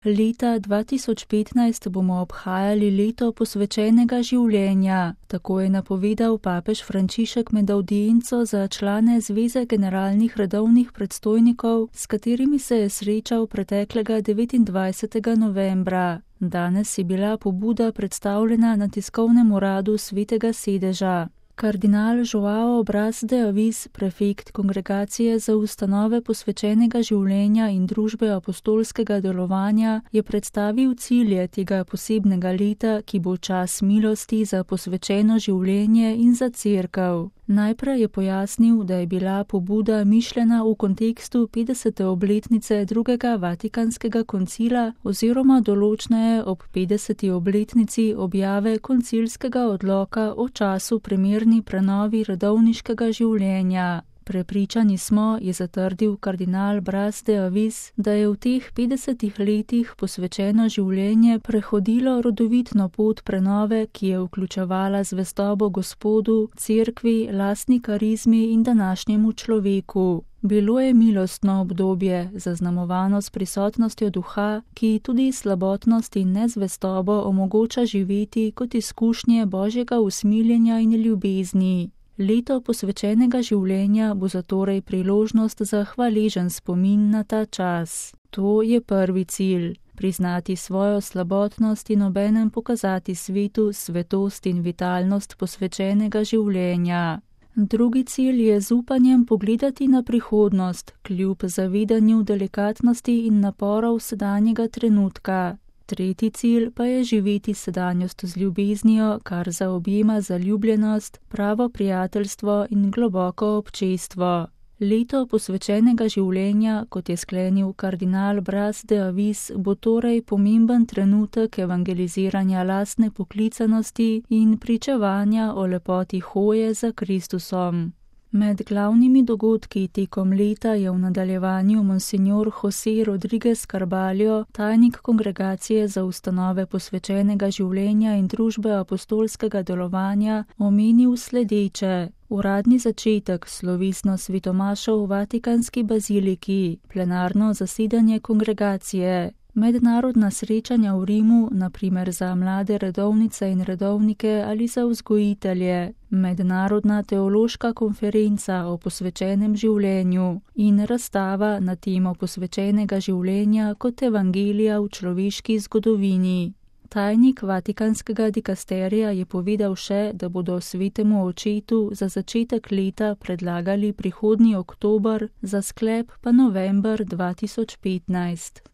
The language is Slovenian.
Leta 2015 bomo obhajali leto posvečenega življenja, tako je napovedal papež Frančišek med avdienco za člane Zveze generalnih redovnih predstojnikov, s katerimi se je srečal preteklega 29. novembra. Danes je bila pobuda predstavljena na tiskovnem uradu Svetega sedeža. Kardinal Joao Braz de Avis, prefekt Kongregacije za ustanove posvečenega življenja in družbe apostolskega delovanja, je predstavil cilje tega posebnega leta, ki bo čas milosti za posvečeno življenje in za cerkev. Najprej je pojasnil, da je bila pobuda mišljena v kontekstu 50. obletnice drugega Vatikanskega koncila oziroma določneje ob 50. obletnici objave koncilskega odloka o času primerni prenovi redovniškega življenja. Prepričani smo, je zatrdil kardinal Braz de Avis, da je v teh 50 letih posvečeno življenje prehodilo rodovitno pot prenove, ki je vključevala zvestobo Gospodu, cerkvi, lastni karizmi in današnjemu človeku. Bilo je milostno obdobje, zaznamovano s prisotnostjo duha, ki tudi slabotnost in nezvestobo omogoča živeti kot izkušnje Božjega usmiljenja in ljubezni. Leto posvečenega življenja bo zatorej priložnost za hvaležen spomin na ta čas. To je prvi cilj. Priznati svojo slabotnost in obenem pokazati svetu svetost in vitalnost posvečenega življenja. Drugi cilj je z upanjem pogledati na prihodnost, kljub zavedanju delikatnosti in naporov sedanjega trenutka. Tretji cilj pa je živeti sedanjost z ljubeznijo, kar zaobjema zaljubljenost, pravo prijateljstvo in globoko občestvo. Leto posvečenega življenja, kot je sklenil kardinal Braz de Avis, bo torej pomemben trenutek evangeliziranja lastne poklicanosti in pričevanja o lepoti hoje za Kristusom. Med glavnimi dogodki tekom leta je v nadaljevanju monsignor José Rodríguez Carballo, tajnik Kongregacije za ustanove posvečenega življenja in družbe apostolskega delovanja, omenil sledeče: uradni začetek, slovesno svetomašo v Vatikanski baziliki, plenarno zasedanje kongregacije, mednarodna srečanja v Rimu, na primer za mlade redovnice in redovnike ali za vzgojitelje, mednarodna teološka konferenca o posvečenem življenju in razstava na temo posvečenega življenja kot evangelija v človeški zgodovini. Tajnik Vatikanskega dikasterija je povedal še, da bodo svetemu očetu za začetek leta predlagali prihodnji oktober, za sklep pa november 2015.